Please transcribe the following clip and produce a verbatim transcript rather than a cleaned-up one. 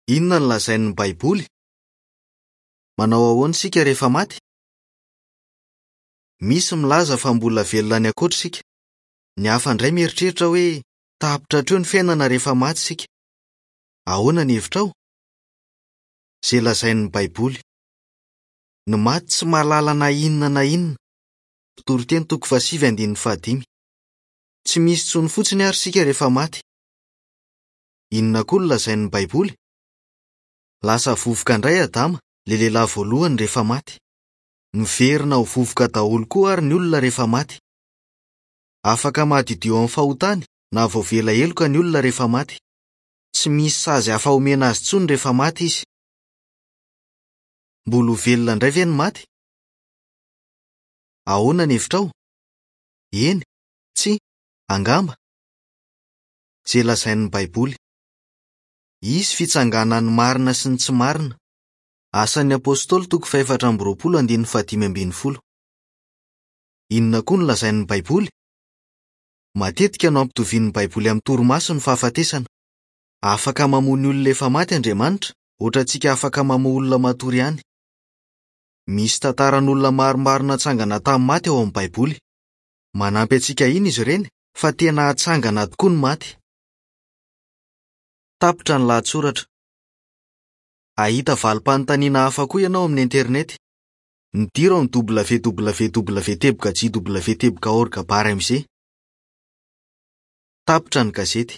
Inona no lazain'ny Baiboly? Manao ahoana isika rehefa maty? Misy milaza fa mbola velona any ankoatra isika. Ny hafa indray mieritreritra hoe tapitra hatreo ny fiainana rehefa maty isika. Ahoana ny hevitrao? Izay lazain'ny Baiboly. Ny maty tsy mahalala na inona na inona. Mpitoriteny toko fahasivy andininy fahadimy. Tsy misy intsony fotsiny ary isika rehefa maty. Inona koa no lazain'ny Baiboly? Lasa vovoka indray Adama, ilay lehilahy voalohany rehefa maty. Miverina ho vovoka daholo koa ary ny olona rehefa maty. Afaka madiodio amin'ny fahotany na voavela heloka ny olona rehefa maty. Tsy misy sazy hafa omena azy intsony rehefa maty izy. Mbola ho velona indray ve ny maty? Ahoana ny hevitrao? Eny, tsia, angamba. Izay lazain'ny Baiboly. Hisy fitsanganan'ny marina sy ny tsy marina. Asan'ny Apostoly toko fahefatra amby roapolo andininy fahadimy ambin'ny folo. Inona koa no lazain'ny Baiboly? Matetika no ampitovian'ny Baiboly amin'ny torimaso ny fahafatesana. Afaka mamono ny olona efa maty Andriamanitra, ohatrantsika afaka mamono olona matory ihany. Misy tantaran'olona maromaro natsangana tamin'ny maty ao amin'ny Baiboly. Manampy antsika iny izy ireny fa tena hatsangana tokoa ny maty. Tapitra ny lahatsoratra. Hahita valim-panontaniana hafa koa ianao amin'ny internet. Midira ao amin'ny www teboka jw teboka org barre mz. Tapitra ny gazety.